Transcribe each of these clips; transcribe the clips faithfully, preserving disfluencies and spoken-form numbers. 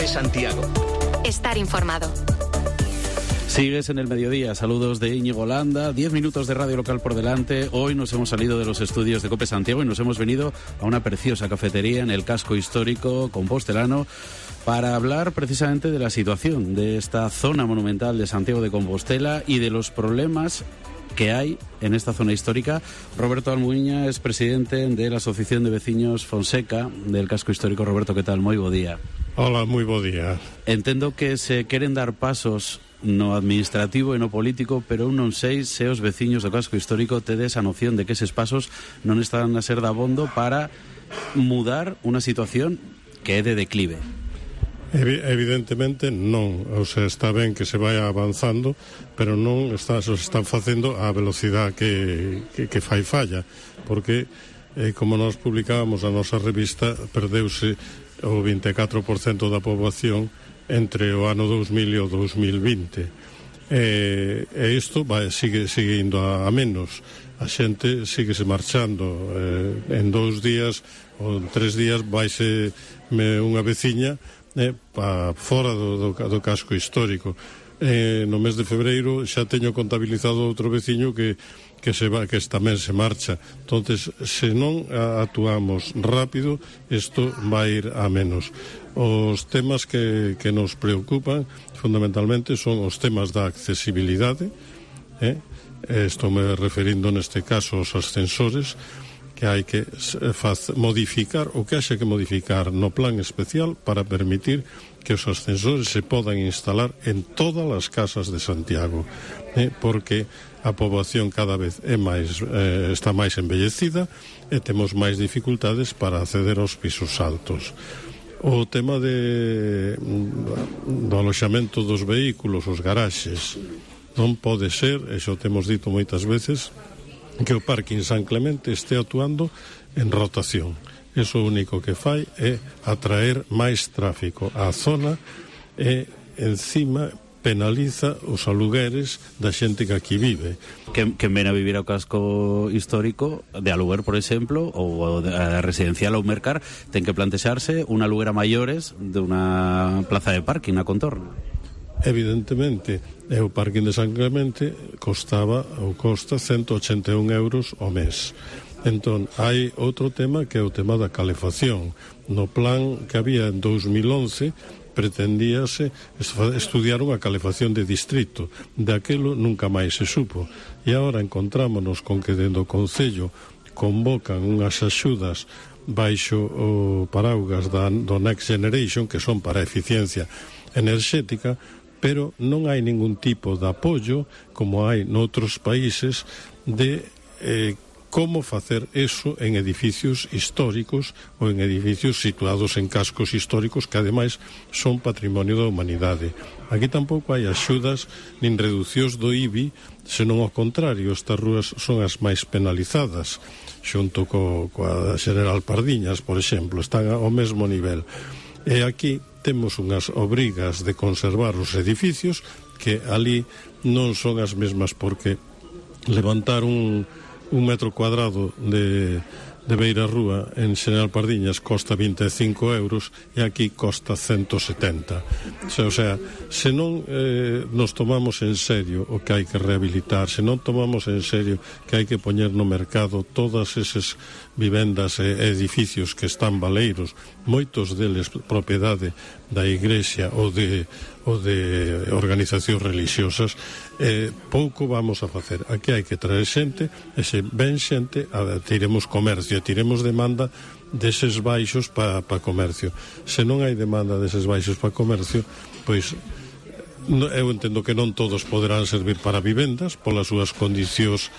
COPE Santiago. Estar informado. Sigues en el mediodía. Saludos de Íñigo Landa. Diez minutos de radio local por delante. Hoy nos hemos salido de los estudios de COPE Santiago y nos hemos venido a una preciosa cafetería en el casco histórico compostelano para hablar precisamente de la situación de esta zona monumental de Santiago de Compostela y de los problemas que hay en esta zona histórica. Roberto Almuiña es presidente de la Asociación de Veciños Fonseca del casco histórico. Roberto, ¿qué tal? Moi bo día. Hola, moi bo día. Entendo que se queren dar pasos no administrativo e no político, pero eu non sei se os veciños do casco histórico tedes a noción de que eses pasos non están a ser dabondo para mudar unha situación que é de declive. Evidentemente non, o sea, está ben que se vaya avanzando, pero non está, se están facendo a velocidade que, que, que fai falla, porque eh, como nós publicábamos a nosa revista, perdeuse o vinte e catro por cento da poboación entre o ano dous mil e o dous mil vinte, e, e isto vai, sigue, sigue indo a, a menos. A xente sigue se marchando, eh, en dous días ou en tres días vaise me unha veciña Eh, pa fora do, do, do casco histórico. Eh, no mes de febreiro xa teño contabilizado outro veciño que, que, se va, que tamén se marcha. Entonces, se non actuamos rápido, isto vai ir a menos. Os temas que, que nos preocupan fundamentalmente son os temas da accesibilidade, eh? Estou me referindo neste caso aos ascensores, que hai que modificar o que haxe que modificar no plan especial para permitir que os ascensores se podan instalar en todas as casas de Santiago, eh, porque a poboación cada vez é máis, eh, está máis envellecida e temos máis dificultades para acceder aos pisos altos. O tema de, do aloxamento dos vehículos, os garaxes, non pode ser, e xa o temos dito moitas veces, que o parking San Clemente este actuando en rotación. Eso o único que fai é atraer máis tráfico á zona e encima penaliza os alugueres da xente que aquí vive. Que, que ven a vivir ao casco histórico de aluguer, por exemplo, ou a residencial ou mercar, ten que plantexarse un aluguer a maiores de unha plaza de parking na contorno. Evidentemente, o parking de San Clemente costaba ou costa ciento ochenta e un euros ao mes. Entón, hai outro tema que é o tema da calefacción. No plan que había en dous mil once pretendíase estudiar unha calefacción de distrito. De aquelo nunca máis se supo. E agora encontrámonos con que dentro do Concello convocan unhas axudas baixo o paraugas da, do Next Generation, que son para a eficiencia enerxética, pero non hai ningún tipo de apoio, como hai noutros países, de eh, como facer eso en edificios históricos ou en edificios situados en cascos históricos que ademais son patrimonio da humanidade. Aquí tampouco hai axudas nin reducións do I B I, senón ao contrario, estas rúas son as máis penalizadas, xunto co, coa General Pardiñas, por exemplo, están ao mesmo nivel. E aquí temos unhas obrigas de conservar os edificios que ali non son as mesmas, porque levantar un, un metro cuadrado de, de beira rúa en General Pardiñas costa vinte e cinco euros e aquí costa ciento setenta. O sea, se non eh, nos tomamos en serio o que hai que rehabilitar, se non tomamos en serio que hai que poñer no mercado todas esas vivendas e edificios que están baleiros, moitos deles propiedade da Igrexa ou de, ou de organizacións religiosas, eh, pouco vamos a facer. Aquí hai que traer xente, e se ven xente, a, tiremos comercio, tiremos demanda deses baixos para pa comercio. Se non hai demanda deses baixos para comercio, pois eu entendo que non todos poderán servir para vivendas polas súas condicións,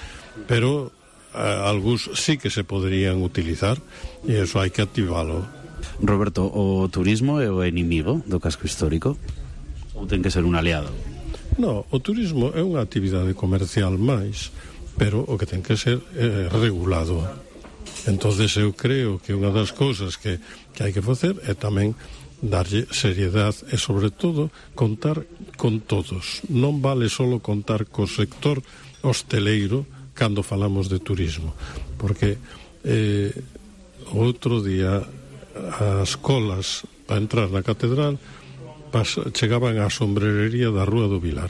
pero algúns sí que se poderían utilizar e eso hai que activalo. Roberto, o turismo é o inimigo do casco histórico ou ten que ser un aliado? No, o turismo é unha actividade comercial máis, pero o que ten que ser é regulado. Entonces eu creo que unha das cousas que, que hai que facer é tamén darlle seriedade e, sobre todo, contar con todos. Non vale solo contar co sector hosteleiro cando falamos de turismo, porque eh, outro día as colas para entrar na catedral pas, chegaban á sombrerería da Rúa do Vilar.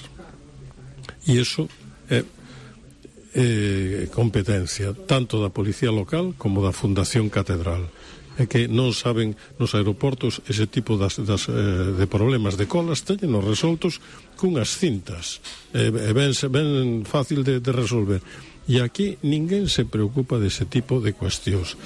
E iso é, é competencia tanto da Policía Local como da Fundación Catedral. É que non saben nos aeroportos ese tipo das, das, eh, de problemas de colas teñenos resoltos cunhas cintas e eh, ben, ben fácil de, de resolver, e aquí ninguén se preocupa dese tipo de cuestións.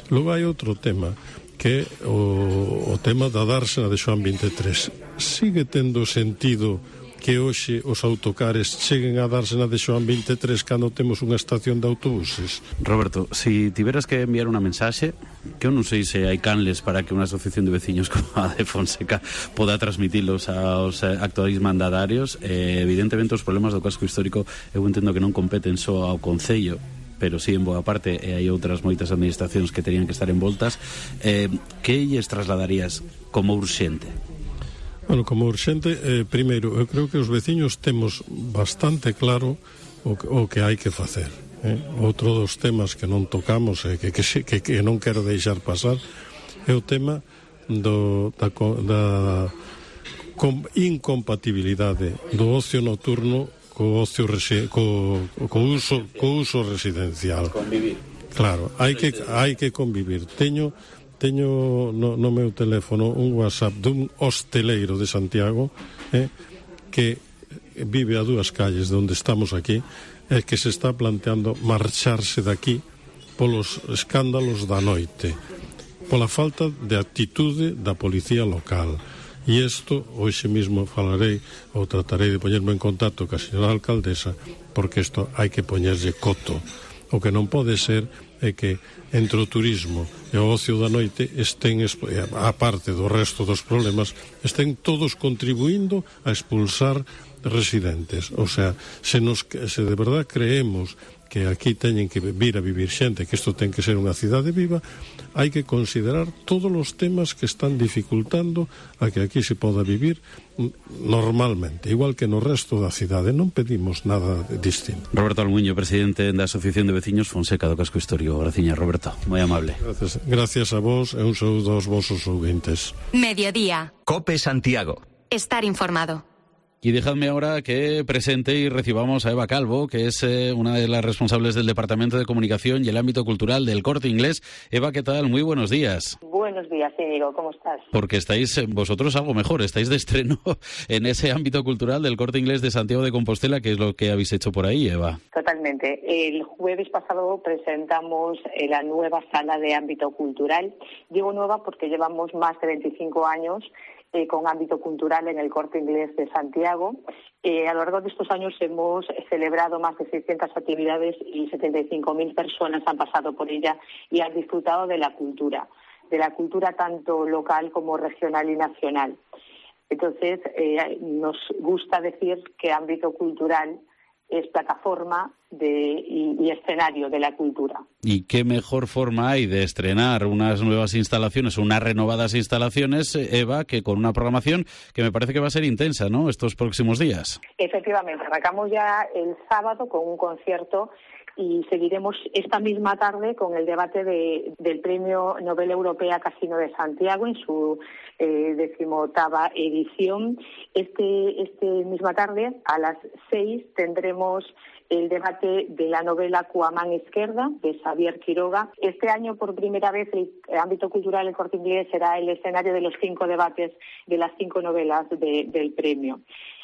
Logo hai outro tema que é o, o tema da dársena de Xoán veintitrés. Sigue tendo sentido que hoxe os autocares cheguen a dársena de Xoán veintitrés cando temos unha estación de autobuses? Roberto, si tiveras que enviar unha mensaxe, que eu non sei se hai canles para que unha asociación de veciños como a de Fonseca poda transmitilos aos actuais mandatarios, eh, evidentemente os problemas do casco histórico eu entendo que non competen só ao Concello, pero sí en boa parte, e hai outras moitas administracións que terían que estar envoltas. Eh, que lles trasladarías como urxente? Bueno, como urxente, eh, primeiro, eu creo que os veciños temos bastante claro o que, o que hai que facer. Eh? Outro dos temas que non tocamos e que, que, que, que non quero deixar pasar é o tema do, da, da com, incompatibilidade do ocio nocturno co ocio resi, co, co, uso, co uso residencial. Convivir. Claro, hai que, hai que convivir. Teño Teño no, no meu teléfono un WhatsApp dun hosteleiro de Santiago eh, que vive a dúas calles de onde estamos aquí e que se está planteando marcharse daqui polos escándalos da noite, pola falta de actitude da policía local. E isto, hoxe mesmo falarei ou tratarei de poñerme en contacto ca señora alcaldesa, porque isto hai que poñerlle coto. O que non pode ser é que entre o turismo e o ocio da noite estén, a parte do resto dos problemas, estén todos contribuindo a expulsar residentes. O sea, se, nos, se de verdad creemos que aquí teñen que vir a vivir xente, que isto ten que ser unha cidade viva, hai que considerar todos os temas que están dificultando a que aquí se poda vivir normalmente, igual que no resto da cidade. Non pedimos nada distinto. Roberto Almuño, presidente da Asociación de Veciños Fonseca do Casco Histórico. Graciña, Roberto, moi amable. Gracias, gracias a vos e un saúdo aos vosos ouvintes. Mediodía. Cope Santiago. Estar informado. Y dejadme ahora que presente y recibamos a Eva Calvo, que es eh, una de las responsables del Departamento de Comunicación y el ámbito cultural del Corte Inglés. Eva, ¿qué tal? Muy buenos días. Buenos días, Íñigo, ¿cómo estás? Porque estáis eh, vosotros algo mejor, estáis de estreno en ese ámbito cultural del Corte Inglés de Santiago de Compostela, que es lo que habéis hecho por ahí, Eva. Totalmente. El jueves pasado presentamos eh, la nueva sala de ámbito cultural. Digo nueva porque llevamos más de veinticinco años Eh, con ámbito cultural en el Corte Inglés de Santiago. Eh, a lo largo de estos años hemos celebrado más de seiscientas actividades y setenta y cinco mil personas han pasado por ella y han disfrutado de la cultura, de la cultura tanto local como regional y nacional. Entonces, eh, nos gusta decir que ámbito cultural es plataforma de, y, y escenario de la cultura. ¿Y qué mejor forma hay de estrenar unas nuevas instalaciones, unas renovadas instalaciones, Eva, que con una programación que me parece que va a ser intensa, ¿no?, estos próximos días? Efectivamente, arrancamos ya el sábado con un concierto y seguiremos esta misma tarde con el debate de, del Premio Nobel Europea Casino de Santiago en su eh, decimoctava edición. Este, este misma tarde, a las seis, tendremos el debate de la novela Cuamán Izquierda, de Xavier Quiroga. Este año, por primera vez, el ámbito cultural del Corte Inglés será el escenario de los cinco debates de las cinco novelas de, del premio.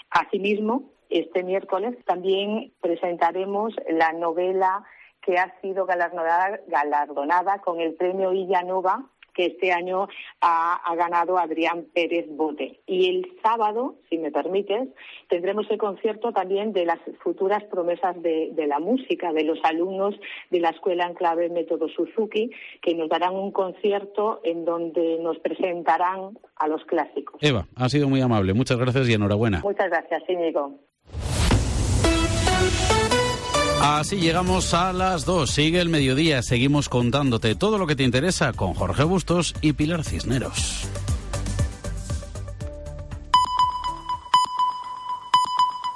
Asimismo, este miércoles también presentaremos la novela que ha sido galardonada, galardonada con el premio Illa Nova, que este año ha, ha ganado Adrián Pérez Bote. Y el sábado, si me permites, tendremos el concierto también de las futuras promesas de, de la música, de los alumnos de la Escuela en Clave Método Suzuki, que nos darán un concierto en donde nos presentarán a los clásicos. Eva, ha sido muy amable. Muchas gracias y enhorabuena. Muchas gracias, Íñigo. Así llegamos a las dos. Sigue el mediodía. Seguimos contándote todo lo que te interesa con Jorge Bustos y Pilar Cisneros.